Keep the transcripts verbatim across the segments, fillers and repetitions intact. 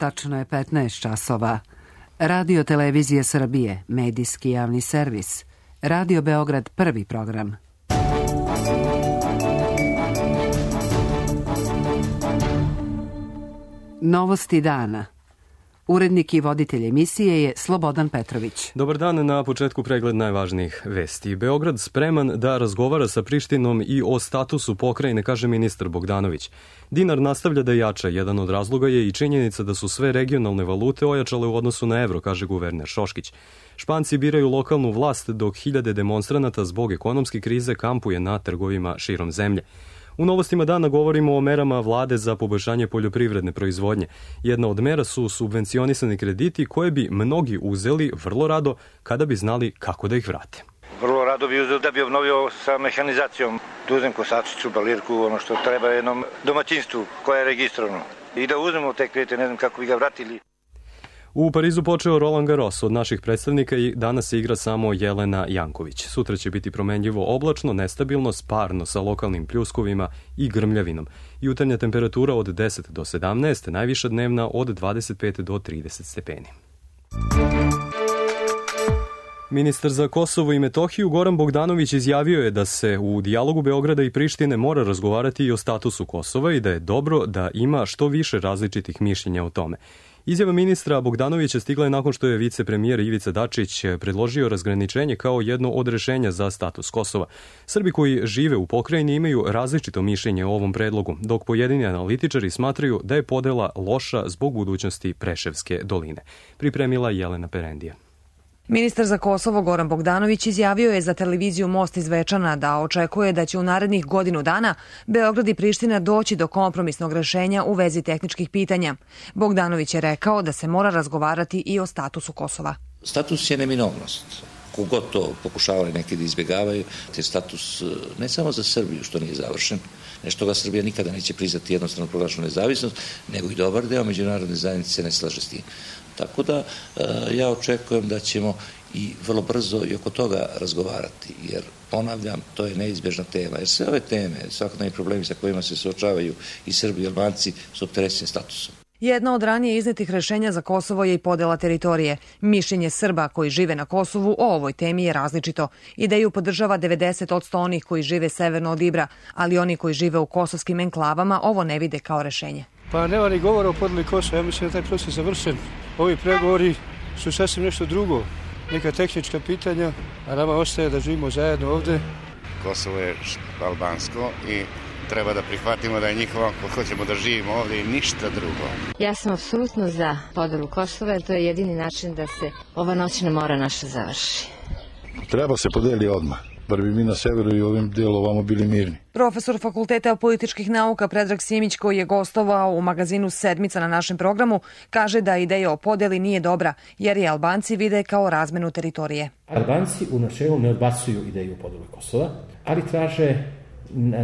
Tačno je petnaest časova. Radio Televizije Srbije, medijski javni servis. Radio Beograd, prvi program. Novosti dana. Urednik i voditelj emisije je Slobodan Petrović. Dobar dan, na početku pregled najvažnijih vesti. Beograd spreman da razgovara sa Prištinom i o statusu pokrajine, kaže ministar Bogdanović. Dinar nastavlja da jača. Jedan od razloga je i činjenica da su sve regionalne valute ojačale u odnosu na evro, kaže guverner Šoškić. Španci biraju lokalnu vlast dok hiljade demonstranata zbog ekonomske krize kampuje na trgovima širom zemlje. U novostima dana govorimo o merama vlade za poboljšanje poljoprivredne proizvodnje. Jedna od mera su subvencionisani krediti koje bi mnogi uzeli vrlo rado kada bi znali kako da ih vrate. Vrlo rado bi uzeo da bi obnovio sa mehanizacijom, da uzem kosačicu, balirku, ono što treba jednom domaćinstvu koje je registrovano. I da uzmemo te kredite, ne znam kako bi ga vratili. U Parizu počeo Roland Garros. Od naših predstavnika i danas se igra samo Jelena Janković. Sutra će biti promenljivo oblačno, nestabilno, sparno sa lokalnim pljuskovima i grmljavinom. Jutarnja temperatura od deset do sedamnaest, najviša dnevna od dvadeset pet do trideset stepeni. Ministar za Kosovo i Metohiju Goran Bogdanović izjavio je da se u dijalogu Beograda i Prištine mora razgovarati i o statusu Kosova i da je dobro da ima što više različitih mišljenja o tome. Izjava ministra Bogdanovića stigla je nakon što je vicepremijer Ivica Dačić predložio razgraničenje kao jedno od rešenja za status Kosova. Srbi koji žive u pokrajini imaju različito mišljenje o ovom predlogu, dok pojedini analitičari smatraju da je podela loša zbog budućnosti Preševske doline. Pripremila Jelena Perendija. Ministar za Kosovo Goran Bogdanović izjavio je za televiziju Most iz Zvečana da očekuje da će u narednih godinu dana Beograd i Priština doći do kompromisnog rešenja u vezi tehničkih pitanja. Bogdanović je rekao da se mora razgovarati i o statusu Kosova. Status je neminovnost. Kogod to pokušavali neki da izbjegavaju, te status ne samo za Srbiju, što nije završen, nešto ga Srbija nikada neće priznati jednostrano proglašenu nezavisnost, nego i dobar deo međunarodne zajednice se ne slaže s tim. Tako da ja očekujem da ćemo i vrlo brzo i oko toga razgovarati, jer ponavljam, to je neizbježna tema, jer sve ove teme, svakodnevni problemi sa kojima se suočavaju i Srbi i Albanci su opterećeni statusom. Jedna od ranije iznetih rešenja za Kosovo je i podela teritorije. Mišljenje Srba koji žive na Kosovu o ovoj temi je različito. Ideju podržava devedeset posto onih koji žive severno od Ibra, ali oni koji žive u kosovskim enklavama ovo ne vide kao rešenje. Pa nema ni govora o podeli Kosova, ja mislim da je taj proces završen. Ovi pregovori su sasvim nešto drugo, neka tehnička pitanja, a nama ostaje da živimo zajedno ovde. Kosovo je albansko i treba da prihvatimo da je njihovo ako hoćemo da živimo ovde i ništa drugo. Ja sam apsolutno za podelu Kosova, jer to je jedini način da se ova noćna mora naša završi. Treba se podeli odmah. Bar bi mi na severu i ovim delu ovamo bili mirni. Profesor Fakulteta političkih nauka Predrag Simić, koji je gostovao u magazinu Sedmica na našem programu, kaže da ideja o podeli nije dobra, jer je Albanci vide kao razmenu teritorije. Albanci u načelu ne odbacuju ideju o podeli Kosova, ali traže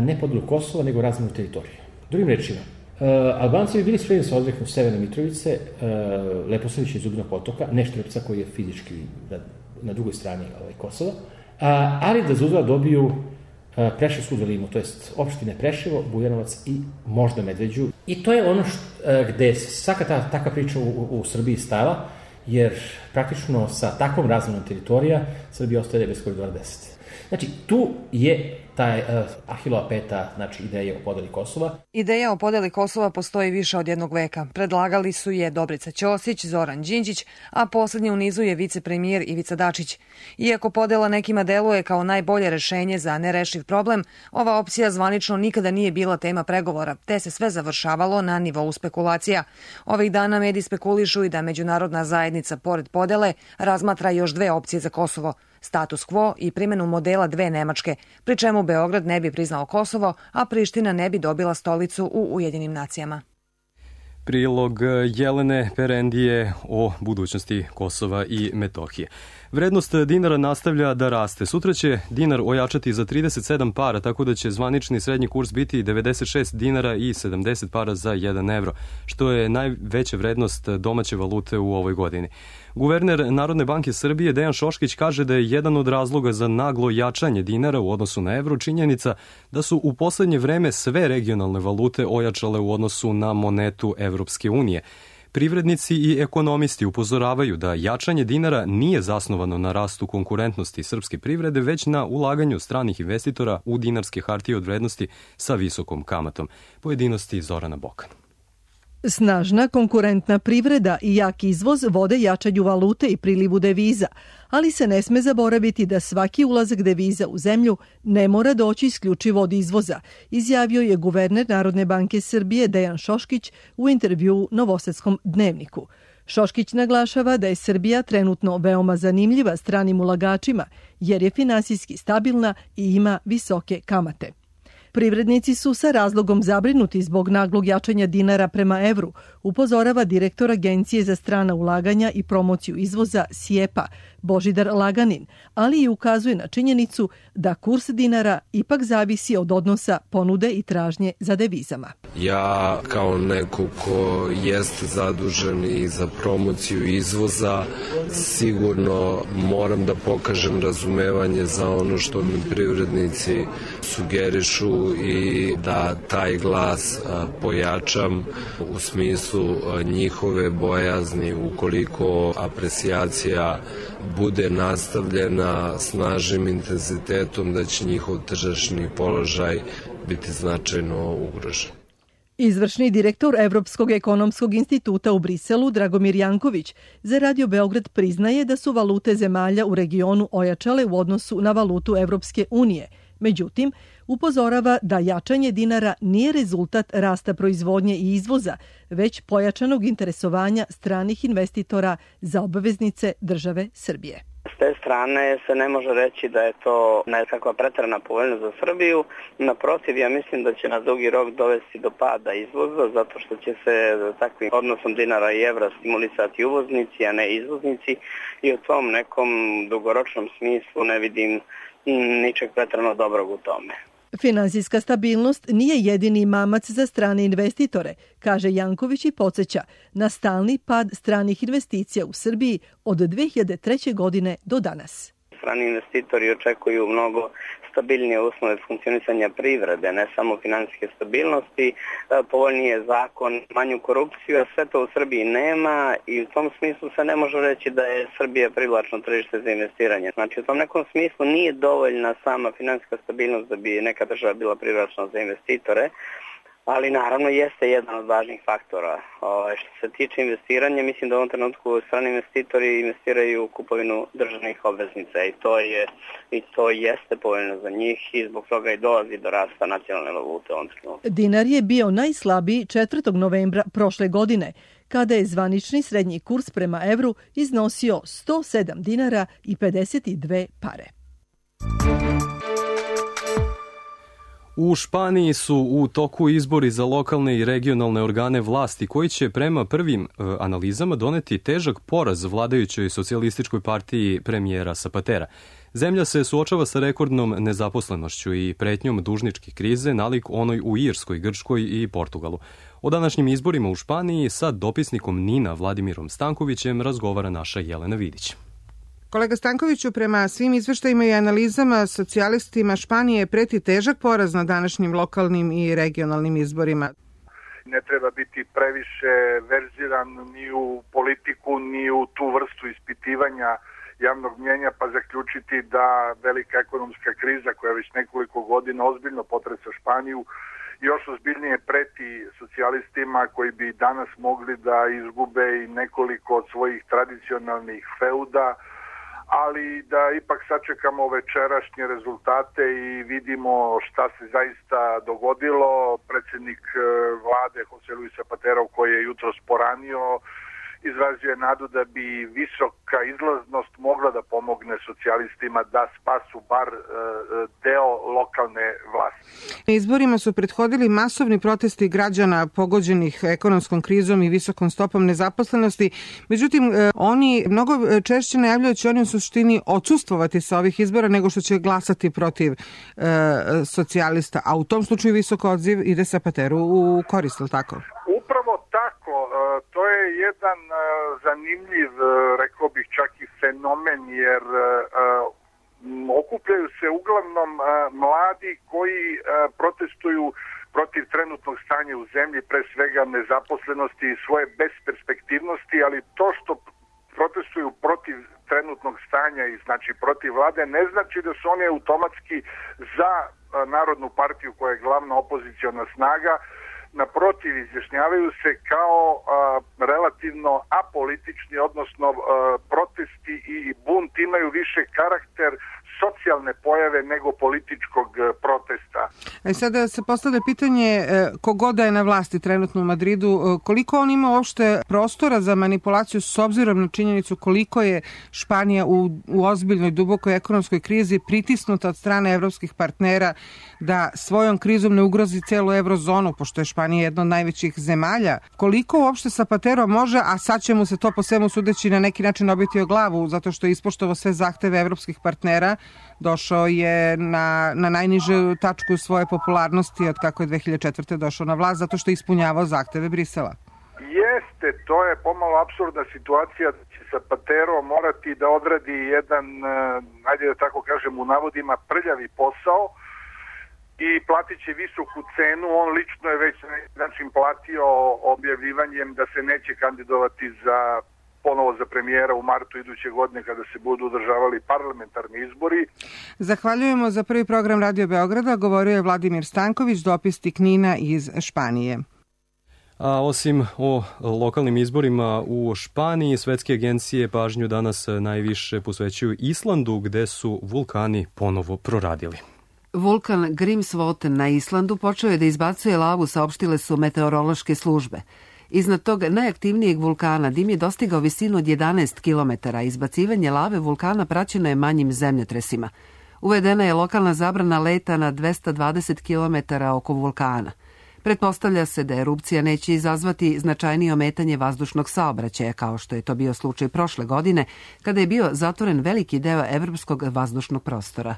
ne podelu Kosova, nego razmenu teritorije. Drugim rečima, Albanci bi bili spremni sa odreknu Severne Mitrovice, Leposavića i Zubnog potoka, ne Štrpca koji je fizički na drugoj strani Kosova, ali da za uzvrat dobiju Preševsku dolinu, to jest opštine Preševo, Bujanovac i možda Medveđu. I to je ono što, gde svaka ta, takva priča u, u Srbiji stala, jer praktično sa takvom razmenom teritorija Srbija ostaje bez koridora deset. Znači, tu je taj uh, Ahilova peta, znači ideja o podeli Kosova. Ideja o podeli Kosova postoji više od jednog veka. Predlagali su je Dobrica Ćosić, Zoran Đinđić, a poslednji u nizu je vicepremijer Ivica Dačić. Iako podela nekima deluje kao najbolje rešenje za nerešiv problem, ova opcija zvanično nikada nije bila tema pregovora, te se sve završavalo na nivou spekulacija. Ovih dana mediji spekulišu i da međunarodna zajednica pored podele razmatra još dve opcije za Kosovo. Status quo i primjenu modela dve Nemačke, pri čemu Beograd ne bi priznao Kosovo, a Priština ne bi dobila stolicu u Ujedinjenim nacijama. Prilog Jelene Perendije o budućnosti Kosova i Metohije. Vrednost dinara nastavlja da raste. Sutra će dinar ojačati za trideset sedam para, tako da će zvanični srednji kurs biti devedeset šest dinara i sedamdeset para za jedan evro, što je najveća vrednost domaće valute u ovoj godini. Guverner Narodne banke Srbije Dejan Šoškić kaže da je jedan od razloga za naglo jačanje dinara u odnosu na evro činjenica da su u poslednje vreme sve regionalne valute ojačale u odnosu na monetu Evropske unije. Privrednici i ekonomisti upozoravaju da jačanje dinara nije zasnovano na rastu konkurentnosti srpske privrede, već na ulaganju stranih investitora u dinarske hartije od vrednosti sa visokom kamatom. Pojedinosti Zorana Bokan. Snažna konkurentna privreda i jak izvoz vode jačanju valute i prilivu deviza, ali se ne sme zaboraviti da svaki ulazak deviza u zemlju ne mora doći isključivo od izvoza, izjavio je guverner Narodne banke Srbije Dejan Šoškić u intervjuu Novosadskom dnevniku. Šoškić naglašava da je Srbija trenutno veoma zanimljiva stranim ulagačima jer je finansijski stabilna i ima visoke kamate. Privrednici su sa razlogom zabrinuti zbog naglog jačanja dinara prema evru, upozorava direktor Agencije za strana ulaganja i promociju izvoza S I E P-a Božidar Laganin, ali i ukazuje na činjenicu da kurs dinara ipak zavisi od odnosa ponude i tražnje za devizama. Ja kao neko ko jeste zadužen i za promociju izvoza sigurno moram da pokažem razumevanje za ono što mi privrednici sugerišu i da taj glas pojačam u smislu njihove bojazni ukoliko aprecijacija bude nastavljena snažnim intenzitetom da će njihov tržišni položaj biti značajno ugrožen. Izvršni direktor Evropskog ekonomskog instituta u Briselu, Dragomir Janković, za Radio Beograd priznaje da su valute zemalja u regionu ojačale u odnosu na valutu Evropske unije. Međutim, upozorava da jačanje dinara nije rezultat rasta proizvodnje i izvoza, već pojačanog interesovanja stranih investitora za obveznice države Srbije. S te strane se ne može reći da je to nekakva preterana povoljnost za Srbiju. Naprotiv, ja mislim da će na dugi rok dovesti do pada izvoza, zato što će se takvim odnosom dinara i evra stimulisati uvoznici, a ne izvoznici. I u tom nekom dugoročnom smislu ne vidim ničeg preterano dobrog u tome. Finansijska stabilnost nije jedini mamac za strane investitore, kaže Janković i podsjeća na stalni pad stranih investicija u Srbiji od dve hiljade treće. godine do danas. Strani investitori očekuju mnogo stabilnije uslove funkcionisanja privrede, ne samo finansijske stabilnosti, povoljnije zakon, manju korupciju, a sve to u Srbiji nema i u tom smislu se ne može reći da je Srbija privlačno tržište za investiranje. Znači u tom nekom smislu nije dovoljna sama finansijska stabilnost da bi neka država bila privlačna za investitore, ali naravno jeste jedan od važnih faktora. O, što se tiče investiranja, mislim da u ovom trenutku strani investitori investiraju u kupovinu državnih obveznica i to je i to jeste povoljno za njih i zbog toga i dolazi do rasta nacionalne valute u ovom trenutku. Dinar je bio najslabiji četvrtog novembra prošle godine, kada je zvanični srednji kurs prema evru iznosio sto sedam dinara i pedeset dve pare. U Španiji su u toku izbori za lokalne i regionalne organe vlasti koji će prema prvim e, analizama doneti težak poraz vladajućoj socijalističkoj partiji premijera Zapatera. Zemlja se suočava sa rekordnom nezaposlenošću i pretnjom dužničke krize nalik onoj u Irskoj, Grčkoj i Portugalu. O današnjim izborima u Španiji sa dopisnikom NIN-a Vladimirom Stankovićem razgovara naša Jelena Vidić. Kolega Stankoviću, prema svim izveštajima i analizama socijalistima Španije preti težak poraz na današnjim lokalnim i regionalnim izborima. Ne treba biti previše verziran ni u politiku, ni u tu vrstu ispitivanja javnog mnjenja, pa zaključiti da velika ekonomska kriza koja već nekoliko godina ozbiljno potresa Španiju još ozbiljnije preti socijalistima koji bi danas mogli da izgube i nekoliko od svojih tradicionalnih feuda, ali da ipak sačekamo večerašnje rezultate i vidimo šta se zaista dogodilo. Predsjednik vlade José Luis Zapatero, koji je jutros poranio, izrazio je nadu da bi visoka izlaznost mogla da pomogne socijalistima da spasu bar deo lokalne vlasti. Izborima su prethodili masovni protesti građana pogođenih ekonomskom krizom i visokom stopom nezaposlenosti. Međutim, oni mnogo češće najavljaju da će oni u suštini odsustvovati sa ovih izbora nego što će glasati protiv e, socijalista. A u tom slučaju visok odziv ide Zapateru u korist, ili tako? Upravo tako. To je jedan zanimljiv, rekao bih čak i fenomen, jer okupljaju se uglavnom mladi koji protestuju protiv trenutnog stanja u zemlji, pre svega nezaposlenosti i svoje besperspektivnosti, ali to što protestuju protiv trenutnog stanja i znači protiv vlade ne znači da su oni automatski za Narodnu partiju koja je glavna opoziciona snaga. Naprotiv, izjašnjavaju se kao a, relativno apolitični, odnosno a, protesti i bunt imaju više karakter socijalne pojave nego političkog protesta. E sada se postavlja pitanje kogoda je na vlasti trenutno u Madridu, koliko on ima uopšte prostora za manipulaciju s obzirom na činjenicu koliko je Španija u, u ozbiljnoj dubokoj ekonomskoj krizi pritisnuta od strane evropskih partnera da svojom krizom ne ugrozi celu eurozonu, pošto je Španija jedna od najvećih zemalja. Koliko uopšte Zapatero može, a sad će mu se to po svemu sudeći na neki način obiti o glavu, zato što je ispoštovao sve zahteve evropskih partnera, došao je na, na najnižu tačku svoje popularnosti od kako je dve hiljade četvrte. došao na vlast, zato što je ispunjavao zahteve Brisela. Jeste, to je pomalo apsurdna situacija da će Zapatero morati da odradi jedan, ajde da tako kažem u navodima, prljavi posao i platit će visoku cenu. On lično je već na način platio objavljivanjem da se neće kandidovati za ponovo za premijera u martu iduće godine kada se budu održavali parlamentarni izbori. Zahvaljujemo za prvi program Radio Beograda. Govorio je Vladimir Stanković, dopisnik NIN-a iz Španije. A osim o lokalnim izborima u Španiji, svetske agencije pažnju danas najviše posvećuju Islandu, gde su vulkani ponovo proradili. Vulkan Grímsvötn na Islandu počeo je da izbacuje lavu, saopštile su meteorološke službe. Iznad tog najaktivnijeg vulkana dim je dostigao visinu od jedanaest kilometara. Izbacivanje lave vulkana praćeno je manjim zemljotresima. Uvedena je lokalna zabrana leta na dvesta dvadeset kilometara oko vulkana. Pretpostavlja se da erupcija neće izazvati značajnije ometanje vazdušnog saobraćaja, kao što je to bio slučaj prošle godine, kada je bio zatvoren veliki deo evropskog vazdušnog prostora.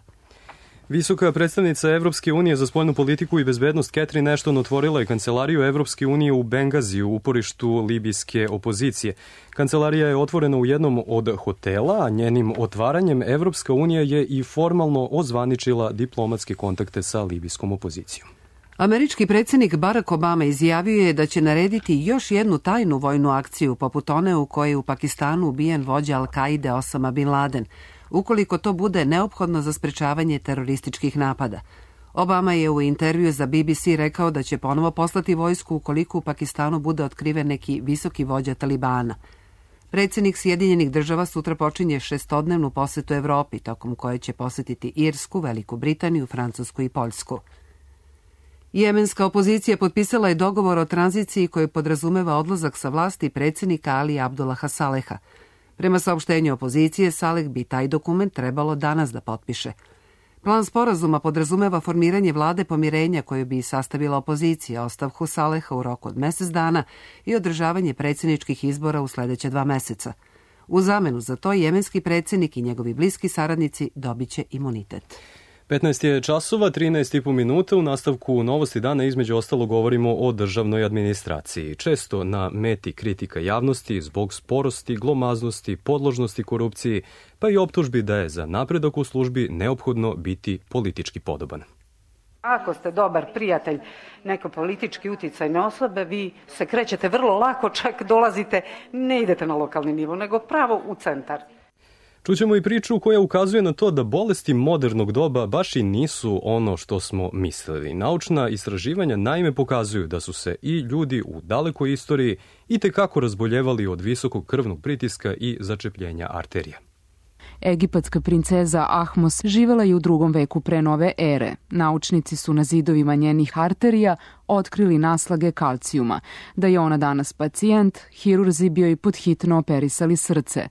Visoka predstavnica Evropske unije za spoljnu politiku i bezbednost Catherine Ashton otvorila je kancelariju Evropske unije u Bengaziju, uporištu libijske opozicije. Kancelarija je otvorena u jednom od hotela, a njenim otvaranjem Evropska unija je i formalno ozvaničila diplomatske kontakte sa libijskom opozicijom. Američki predsjednik Barack Obama izjavio je da će narediti još jednu tajnu vojnu akciju, poput one u kojoj je u Pakistanu ubijen vođa Al-Kaide Osama Bin Laden, ukoliko to bude neophodno za sprečavanje terorističkih napada. Obama je u intervju za B B C rekao da će ponovo poslati vojsku ukoliko u Pakistanu bude otkriven neki visoki vođa Talibana. Predsjednik Sjedinjenih država sutra počinje šestodnevnu posetu Evropi, tokom koje će posetiti Irsku, Veliku Britaniju, Francusku i Poljsku. Jemenska opozicija potpisala je dogovor o tranziciji koji podrazumeva odlazak sa vlasti predsjednika Ali Abdullaha Saleha. Prema saopštenju opozicije, Saleh bi taj dokument trebalo danas da potpiše. Plan sporazuma podrazumeva formiranje vlade pomirenja koju bi sastavila opozicija, ostavku Saleha u roku od mjesec dana i održavanje predsjedničkih izbora u sljedeće dva meseca. U zamenu za to jemenski predsjednik i njegovi bliski saradnici dobit će imunitet. petnaest je časova, trinaest i po minuta. U nastavku Novosti dana između ostalo govorimo o državnoj administraciji. Često na meti kritika javnosti zbog sporosti, glomaznosti, podložnosti korupciji, pa i optužbi da je za napredak u službi neophodno biti politički podoban. Ako ste dobar prijatelj neke politički uticajne osobe, vi se krećete vrlo lako, čak dolazite, ne idete na lokalni nivo, nego pravo u centar. Čućemo i priču koja ukazuje na to da bolesti modernog doba baš i nisu ono što smo mislili. Naučna istraživanja naime pokazuju da su se i ljudi u dalekoj istoriji itekako razboljevali od visokog krvnog pritiska i začepljenja arterija. Egipatska princeza Ahmos živela je u drugom veku pre nove ere. Naučnici su na zidovima njenih arterija otkrili naslage kalcijuma. Da je ona danas pacijent, hirurzi bi joj podhitno operisali srce.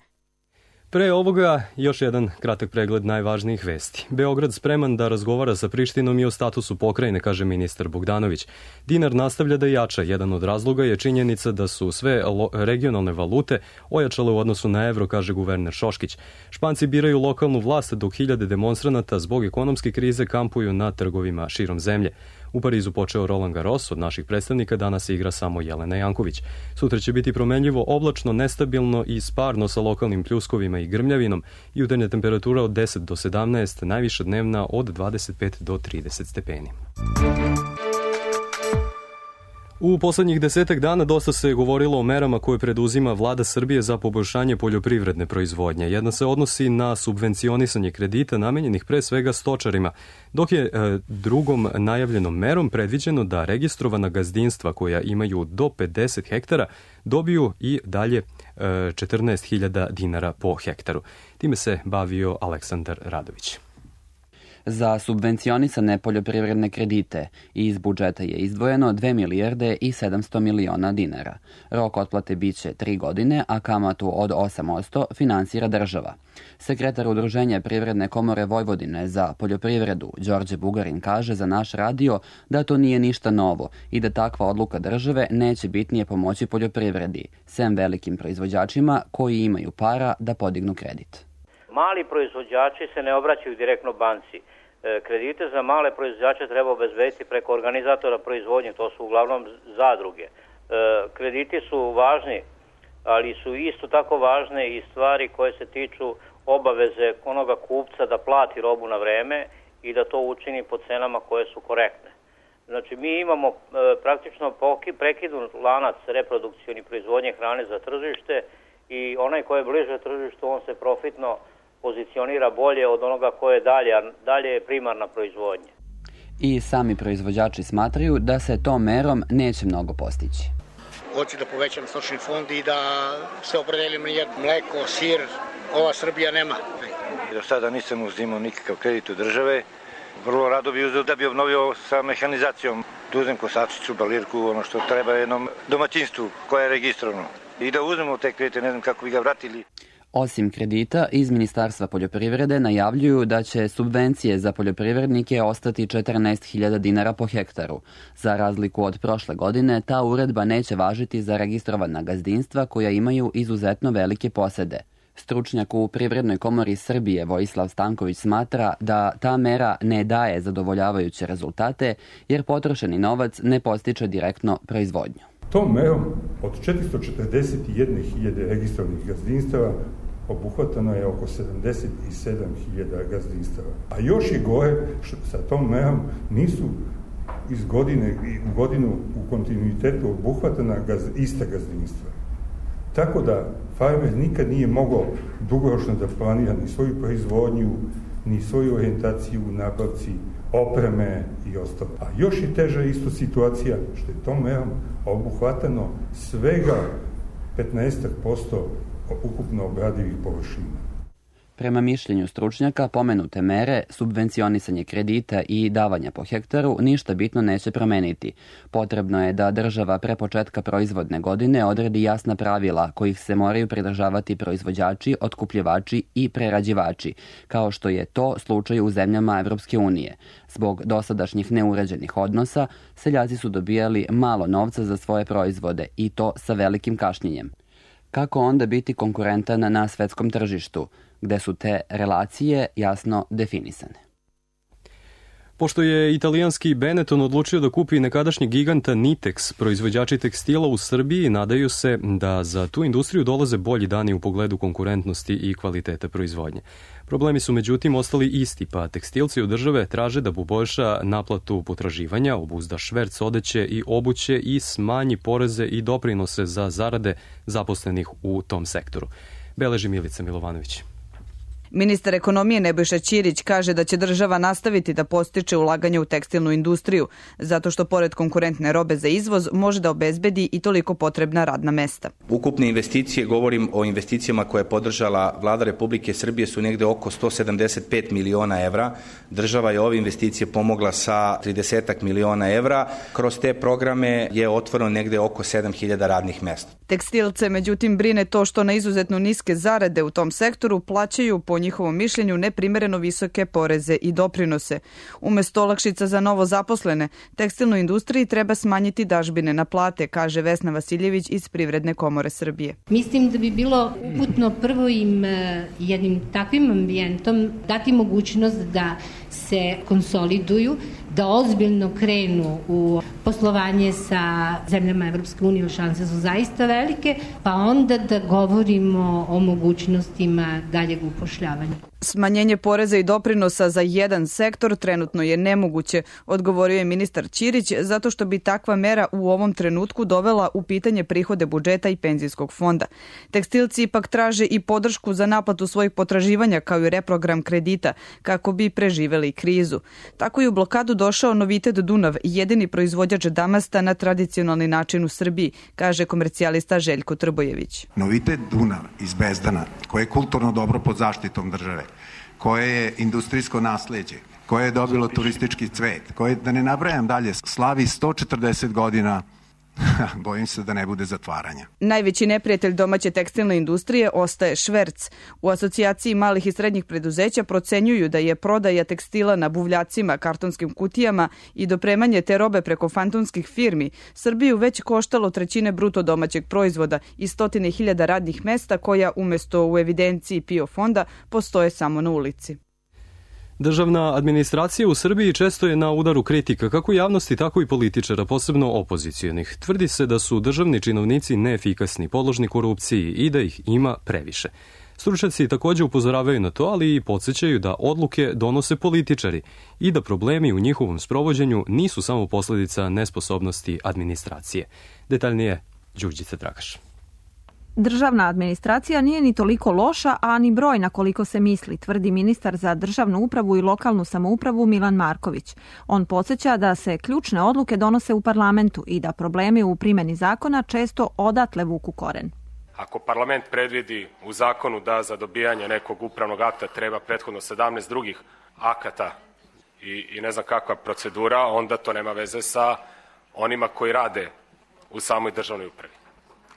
Pre ovoga još jedan kratak pregled najvažnijih vesti. Beograd spreman da razgovara sa Prištinom i o statusu pokrajine, kaže ministar Bogdanović. Dinar nastavlja da jača. Jedan od razloga je činjenica da su sve regionalne valute ojačale u odnosu na evro, kaže guverner Šoškić. Španci biraju lokalnu vlast dok hiljade demonstranata zbog ekonomske krize kampuju na trgovima širom zemlje. U Parizu počeo Roland Garros, od naših predstavnika danas igra samo Jelena Janković. Sutra će biti promenljivo, oblačno, nestabilno i sparno sa lokalnim pljuskovima i grmljavinom. Jutarnja temperatura od deset do sedamnaest, najviša dnevna od dvadeset pet do trideset stepeni. U poslednjih desetak dana dosta se govorilo o merama koje preduzima vlada Srbije za poboljšanje poljoprivredne proizvodnje. Jedna se odnosi na subvencionisanje kredita namenjenih pre svega stočarima, dok je e, drugom najavljenom merom predviđeno da registrovana gazdinstva koja imaju do pedeset hektara dobiju i dalje e, četrnaest hiljada dinara po hektaru. Time se bavio Aleksandar Radović. Za subvencionisane poljoprivredne kredite iz budžeta je izdvojeno dve milijarde i sedamsto miliona dinara. Rok otplate biće tri godine, a kamatu od osam posto finansira država. Sekretar Udruženja Privredne komore Vojvodine za poljoprivredu Đorđe Bugarin kaže za naš radio da to nije ništa novo i da takva odluka države neće bitnije pomoći poljoprivredi, sem velikim proizvođačima koji imaju para da podignu kredit. Mali proizvođači se ne obraćaju direktno banci. Kredite za male proizvođače treba obezbediti preko organizatora proizvodnje, to su uglavnom zadruge. Krediti su važni, ali su isto tako važne i stvari koje se tiču obaveze onoga kupca da plati robu na vreme i da to učini po cenama koje su korektne. Znači, mi imamo praktično prekidun lanac reprodukcioni proizvodnje hrane za tržište i onaj ko je bliže tržištu, on se profitno pozicionira bolje od onoga koje je dalje, a dalje je primarna proizvodnja. I sami proizvođači smatraju da se tom merom neće mnogo postići. Hoću da povećam stočni fond i da se opredelim na jedno mleko, sir, ova Srbija nema. Do sada nisam uzimao nikakav kredit od države. Vrlo rado bi uzeo da bi obnovio sa mehanizacijom, da uzem kosačicu, balirku, ono što treba jednom domaćinstvu koje je registrovano. I da uzmemo te kredite, ne znam kako bi ga vratili. Osim kredita, iz Ministarstva poljoprivrede najavljuju da će subvencije za poljoprivrednike ostati četrnaest hiljada dinara po hektaru. Za razliku od prošle godine, ta uredba neće važiti za registrovana gazdinstva koja imaju izuzetno velike posede. Stručnjak u Privrednoj komori Srbije Vojislav Stanković smatra da ta mera ne daje zadovoljavajuće rezultate jer potrošeni novac ne postiče direktno proizvodnju. Tom merom od četiristo četrdeset jedne hiljade registrovanih gazdinstava obuhvatano je oko sedamdeset sedam hiljada gazdinstava. A još je gore što sa tom merom nisu iz godine u godinu u kontinuitetu obuhvatana gaz, ista gazdinstva. Tako da farmer nikad nije mogao dugoročno da planira ni svoju proizvodnju, ni svoju orijentaciju u nabavci opreme i ostalo. A još je teža isto situacija što je tom merom obuhvatano svega petnaest posto ukupno obradivih površina. Prema mišljenju stručnjaka, pomenute mere, subvencionisanje kredita i davanja po hektaru ništa bitno neće promeniti. Potrebno je da država pre početka proizvodne godine odredi jasna pravila kojih se moraju pridržavati proizvođači, otkupljivači i prerađivači, kao što je to slučaj u zemljama Evropske unije. Zbog dosadašnjih neuređenih odnosa, seljaci su dobijali malo novca za svoje proizvode i to sa velikim kašnjenjem. Kako onda biti konkurentan na svetskom tržištu, gde su te relacije jasno definisane? Pošto je italijanski Benetton odlučio da kupi nekadašnjeg giganta Nitex, proizvođači tekstila u Srbiji nadaju se da za tu industriju dolaze bolji dani u pogledu konkurentnosti i kvaliteta proizvodnje. Problemi su međutim ostali isti, pa tekstilci od države traže da poboljša naplatu potraživanja, obuzda šverc odeće i obuće i smanji poreze i doprinose za zarade zaposlenih u tom sektoru. Beleži Milica Milovanović. Ministar ekonomije Nebojša Ćirić kaže da će država nastaviti da podstiče ulaganje u tekstilnu industriju, zato što pored konkurentne robe za izvoz može da obezbedi i toliko potrebna radna mesta. Ukupne investicije, govorim o investicijama koje je podržala Vlada Republike Srbije, su negde oko sto sedamdeset pet miliona evra. Država je ove investicije pomogla sa trideset miliona evra. Kroz te programe je otvoreno negde oko sedam hiljada radnih mesta. Tekstilce, međutim, brine to što na izuzetno niske zarade u tom sektoru plaćaju po njihovom mišljenju neprimereno visoke poreze i doprinose. Umesto olakšica za novo zaposlene, tekstilnoj industriji treba smanjiti dažbine na plate, kaže Vesna Vasiljević iz Privredne komore Srbije. Mislim da bi bilo uputno prvo im jednim takvim ambijentom dati mogućnost da se konsoliduju, da ozbiljno krenu u poslovanje sa zemljama Evropske unije, šanse su zaista velike, pa onda da govorimo o mogućnostima daljeg upošljavanja. Smanjenje poreza i doprinosa za jedan sektor trenutno je nemoguće, odgovorio je ministar Ćirić, zato što bi takva mera u ovom trenutku dovela u pitanje prihode budžeta i penzijskog fonda. Tekstilci ipak traže i podršku za naplatu svojih potraživanja kao i reprogram kredita kako bi preživeli krizu. Tako je u blokadu došao Novitet Dunav, jedini proizvođač damasta na tradicionalni način u Srbiji, kaže komercijalista Željko Trbojević. Novitet Dunav iz Bezdana, koje je kulturno dobro pod zaštitom države, koje je industrijsko nasleđe, koje je dobilo turistički cvet, koje, da ne nabrajam dalje, slavi sto četrdeset godina, bojim se da ne bude zatvaranja. Najveći neprijatelj domaće tekstilne industrije ostaje šverc. U asocijaciji malih i srednjih preduzeća procenjuju da je prodaja tekstila na buvljacima, kartonskim kutijama i dopremanje te robe preko fantomskih firmi Srbiju već koštalo trećine bruto domaćeg proizvoda i stotine hiljada radnih mesta koja umesto u evidenciji P I O fonda postoje samo na ulici. Državna administracija u Srbiji često je na udaru kritika kako javnosti, tako i političara, posebno opozicijonih. Tvrdi se da su državni činovnici neefikasni, podložni korupciji i da ih ima previše. Stručnjaci također upozoravaju na to, ali i podsjećaju da odluke donose političari i da problemi u njihovom sprovođenju nisu samo posljedica nesposobnosti administracije. Detaljnije, Đurđica Dragaš. Državna administracija nije ni toliko loša, a ni brojna koliko se misli, tvrdi ministar za državnu upravu i lokalnu samoupravu Milan Marković. On podsjeća da se ključne odluke donose u parlamentu i da problemi u primjeni zakona često odatle vuku koren. Ako parlament predvidi u zakonu da za dobijanje nekog upravnog akta treba prethodno sedamnaest drugih akata i, i ne znam kakva procedura, onda to nema veze sa onima koji rade u samoj državnoj upravi.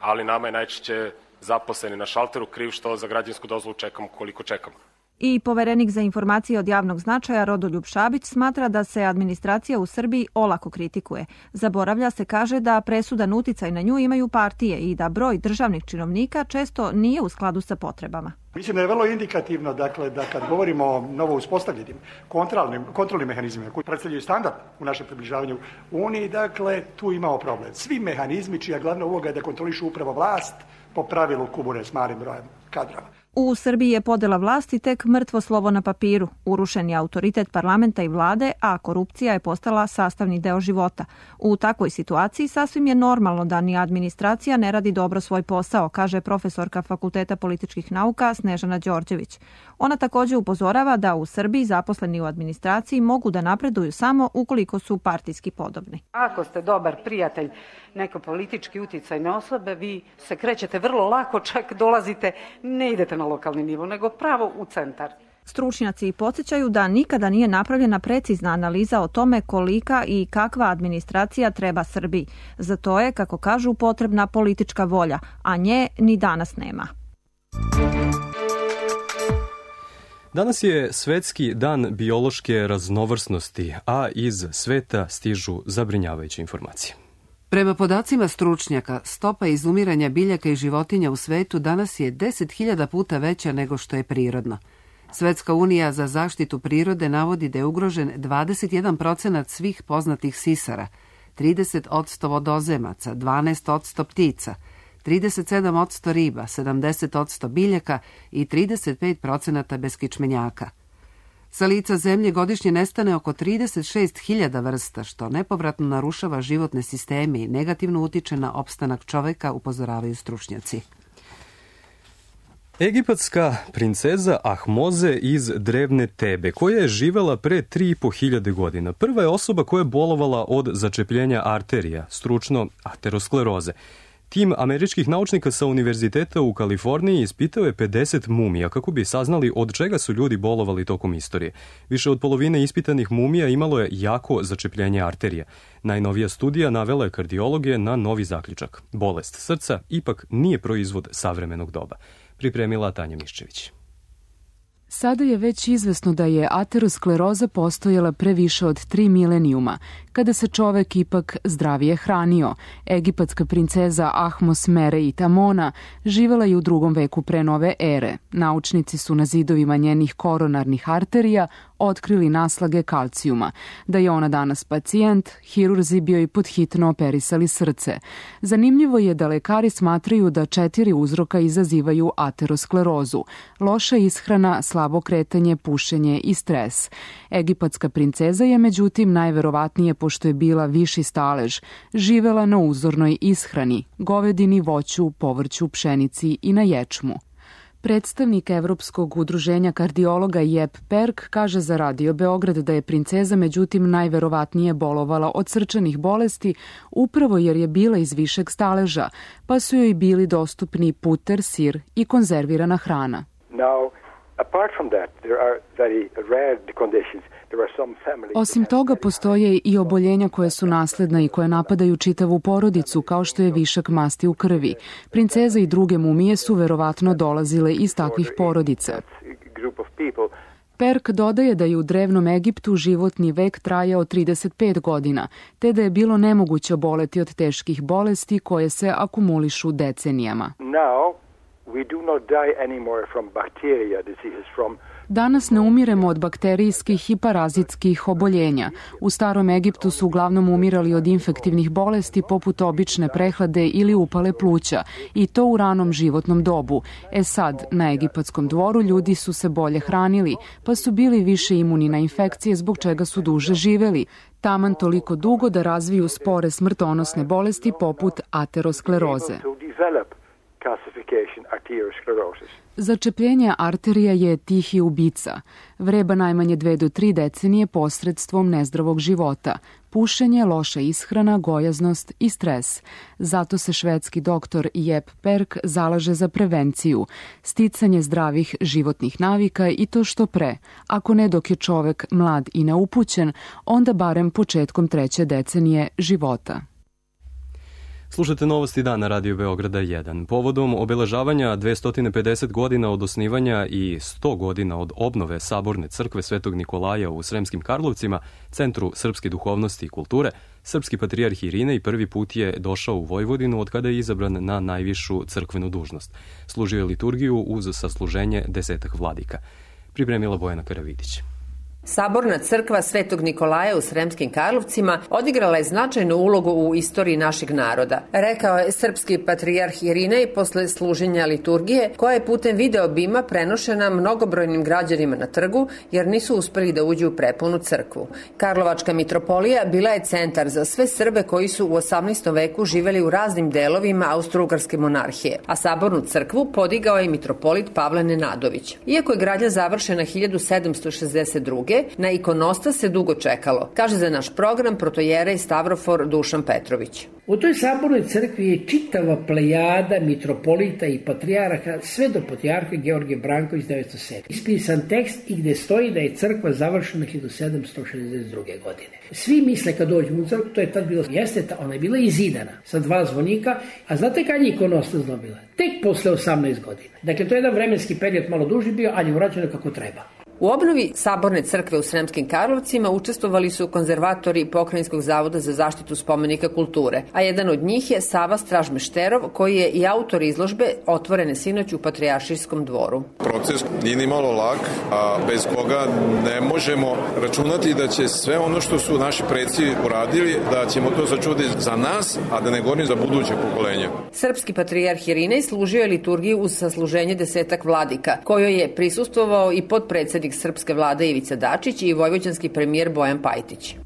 Ali nama je najčešće zaposleni na šalteru kriv što za građansku dozvolu čekamo koliko čekamo. I poverenik za informacije od javnog značaja Rodoljub Šabić smatra da se administracija u Srbiji olako kritikuje. Zaboravlja se, kaže, da presudan uticaj na nju imaju partije i da broj državnih činovnika često nije u skladu sa potrebama. Mislim da je vrlo indikativno, dakle, da kad govorimo o novo uspostavljenim kontrolnim, kontrolnim mehanizmima koji predstavljaju standard u našem približavanju Uniji, dakle, tu imamo problem. Svi mehanizmi čija glavna uloga je da kontrolišu upravo vlast, po pravilu kubure s malim brojem kadrova. U Srbiji je podela vlasti tek mrtvo slovo na papiru. Urušen je autoritet parlamenta i vlade, a korupcija je postala sastavni deo života. U takvoj situaciji sasvim je normalno da ni administracija ne radi dobro svoj posao, kaže profesorka Fakulteta političkih nauka Snežana Đorđević. Ona također upozorava da u Srbiji zaposleni u administraciji mogu da napreduju samo ukoliko su partijski podobni. Ako ste dobar prijatelj neke politički uticajne osobe, vi se krećete vrlo lako, čak dolazite, ne idete na lokalni nivo, nego pravo u centar. Stručnjaci podsjećaju da nikada nije napravljena precizna analiza o tome kolika i kakva administracija treba Srbiji. Za to je, kako kažu, potrebna politička volja, a nje ni danas nema. Danas je Svetski dan biološke raznovrsnosti, a iz sveta stižu zabrinjavajuće informacije. Prema podacima stručnjaka, stopa izumiranja biljaka i životinja u svetu danas je deset hiljada puta veća nego što je prirodno. Svetska unija za zaštitu prirode navodi da je ugrožen dvadeset jedan procenat svih poznatih sisara, trideset posto vodozemaca, dvanaest posto ptica, trideset sedam posto riba, sedamdeset posto biljaka i trideset pet procenata beskičmenjaka. Sa lica zemlje godišnje nestane oko trideset šest hiljada vrsta, što nepovratno narušava životne sisteme i negativno utiče na opstanak čoveka, upozoravaju stručnjaci. Egipatska princeza Ahmoze iz drevne Tebe, koja je živela pre tri i po hiljade godina, prva je osoba koja je bolovala od začepljenja arterija, stručno ateroskleroze. Tim američkih naučnika sa univerziteta u Kaliforniji ispitao je pedeset mumija kako bi saznali od čega su ljudi bolovali tokom istorije. Više od polovine ispitanih mumija imalo je jako začepljenje arterija. Najnovija studija navela je kardiologe na novi zaključak. Bolest srca ipak nije proizvod savremenog doba. Pripremila Tanja Miščević. Sada je već izvesno da je ateroskleroza postojala pre više od tri milenijuma, kada se čovek ipak zdravije hranio. Egipatska princeza Ahmos Mere i Tamona živela je u drugom veku pre nove ere. Naučnici su na zidovima njenih koronarnih arterija otkrili naslage kalcijuma. Da je ona danas pacijent, hirurzi bi joj podhitno operisali srce. Zanimljivo je da lekari smatraju da četiri uzroka izazivaju aterosklerozu: loša ishrana, slabo kretanje, pušenje i stres. Egipatska princeza je međutim najverovatnije, pošto je bila viši stalež, živela na uzornoj ishrani, govedini, voću, povrću, pšenici i na ječmu. Predstavnik Evropskog udruženja kardiologa Jep Perk kaže za Radio Beograd da je princeza međutim najverovatnije bolovala od srčanih bolesti upravo jer je bila iz višeg staleža, pa su joj bili dostupni puter, sir i konzervirana hrana. Now, apart from that, there are very rare conditions. Osim toga, postoje i oboljenja koje su nasledna i koje napadaju čitavu porodicu, kao što je višak masti u krvi. Princeza i druge mumije su verovatno dolazile iz takvih porodica. Perk dodaje da je u drevnom Egiptu životni vek trajao trideset pet godina, te da je bilo nemoguće oboleti od teških bolesti koje se akumulišu decenijama. Now, we do not die anymore from bacteria diseases, from Danas ne umiremo od bakterijskih i parazitskih oboljenja. U starom Egiptu su uglavnom umirali od infektivnih bolesti poput obične prehlade ili upale pluća, i to u ranom životnom dobu. E sad, na egipatskom dvoru ljudi su se bolje hranili, pa su bili više imuni na infekcije, zbog čega su duže živeli, taman toliko dugo da razviju spore smrtonosne bolesti poput ateroskleroze. Začepljenje arterija je tihi ubica. Vreba najmanje dve do tri decenije posredstvom nezdravog života. Pušenje, loša ishrana, gojaznost i stres. Zato se švedski doktor Jep Perk zalaže za prevenciju, sticanje zdravih životnih navika i to što pre. Ako ne dok je čovek mlad i neupućen, onda barem početkom treće decenije života. Slušate Novosti dana Radio Beograda jedan. Povodom obeležavanja dvesta pedeset godina od osnivanja i sto godina od obnove Saborne crkve Svetog Nikolaja u Sremskim Karlovcima, Centru srpske duhovnosti i kulture, srpski patrijarh Irinej prvi put je došao u Vojvodinu od kada je izabran na najvišu crkvenu dužnost. Služio je liturgiju uz sasluženje desetak vladika. Pripremila Bojana Karavidić. Saborna crkva Svetog Nikolaja u Sremskim Karlovcima odigrala je značajnu ulogu u istoriji našeg naroda, rekao je srpski patrijarh Irinej posle služenja liturgije, koja je putem video bima prenošena mnogobrojnim građanima na trgu, jer nisu uspeli da uđu u prepunu crkvu. Karlovačka mitropolija bila je centar za sve Srbe koji su u osamnaestom veku živeli u raznim delovima Austro-Ugarske monarhije, a Sabornu crkvu podigao je mitropolit Pavle Nenadović. Iako je gradnja završena hiljadu sedamsto šezdeset druge. Na ikonostas se dugo čekalo, kaže za naš program protojerej Stavrofor Dušan Petrović. U toj sabornoj crkvi je čitava plejada mitropolita i patrijarha sve do patrijarha Georgije Branković devetsto sedme. Ispisan tekst i gde stoji da je crkva završena hiljadu sedamsto šezdeset druge. godine. Svi misle kad dođu u crkvu, to je tad bilo, jeste, ona je bila izidana sa dva zvonika, a znate kad je ikonostas dobila? Tek posle osamnaest godina. Dakle, to je jedan vremenski period malo duži bio, ali je urađeno kako treba. U obnovi Saborne crkve u Sremskim Karlovcima učestvovali su konzervatori Pokrajinskog zavoda za zaštitu spomenika kulture, a jedan od njih je Sava Stražmešterov, koji je i autor izložbe otvorene sinoć u Patrijaršijskom dvoru. Proces nije ni malo lak, a bez koga ne možemo računati da će sve ono što su naši preci uradili, da ćemo to sačuvati za nas, a da ne govorim za buduće pokolenje. Srpski patrijarh Irinej služio je liturgiju uz sasluženje desetak vladika, kojoj je prisustvovao i podpredsednik srpske vlade Ivica Dačić i vojvođanski premijer Bojan Pajtić.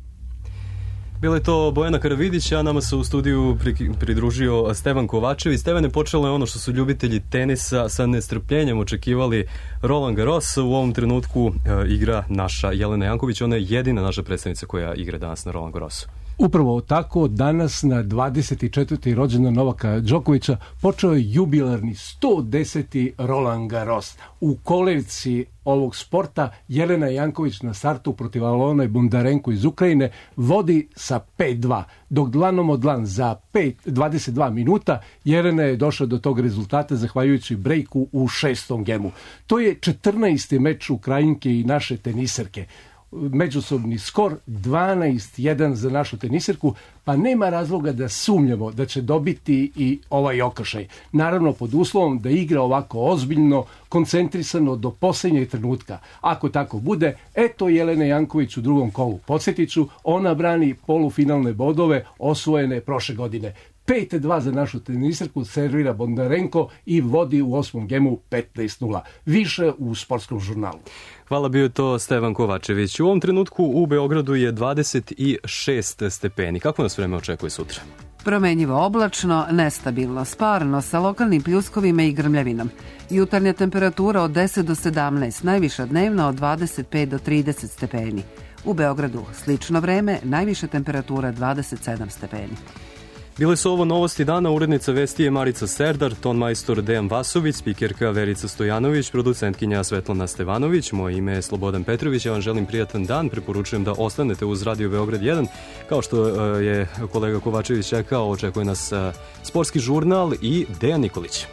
Bila je to Bojana Karavidić, a nama se u studiju pridružio Stevan Kovačević. Stevane, počelo je ono što su ljubitelji tenisa sa nestrpljenjem očekivali. Roland Garros u ovom trenutku e, igra naša Jelena Janković. Ona je jedina naša predstavnica koja igra danas na Roland Garrosu. Upravo tako, danas na dvadeset četvrti rođendan Novaka Đokovića počeo je jubilarni sto deseti Roland Garros. U kolevci ovog sporta Jelena Janković na startu protiv Alone Bondarenko iz Ukrajine vodi sa pet dva, dok dlanom od dlan za pet, dvadeset dva minuta Jelena je došla do tog rezultata zahvaljujući brejku u šestom gemu. To je četrnaesti meč Ukrajinke i naše teniserke. međusobni skor dvanaest jedan za našu tenisirku, pa nema razloga da sumnjamo da će dobiti i ovaj okršaj. Naravno pod uslovom da igra ovako ozbiljno, koncentrisano do posljednjeg trenutka. Ako tako bude, eto Jelene Janković u drugom kolu. Podsjetit ću, ona brani polufinalne bodove osvojene prošle godine. pet dva za našu tenisirku servira Bondarenko i vodi u osmom gemu petnaest nula. Više u sportskom žurnalu. Hvala, bio to Stevan Kovačević. U ovom trenutku u Beogradu je dvadeset šest stepeni. Kako nas vreme očekuje sutra? Promenjivo oblačno, nestabilno, sparno, sa lokalnim pljuskovima i grmljavinom. Jutarnja temperatura od deset do sedamnaest, najviša dnevna od dvadeset pet do trideset stepeni. U Beogradu slično vreme, najviša temperatura dvadeset sedam stepeni. Bile su ovo novosti dana, urednica vesti je Marica Serdar, ton majstor Dejan Vasović, spikerka Verica Stojanović, producentkinja Svetlana Stevanović, moje ime je Slobodan Petrović, ja vam želim prijatan dan, preporučujem da ostanete uz Radio Beograd jedan, kao što je kolega Kovačević rekao, očekuje nas sportski žurnal i Dejan Nikolić.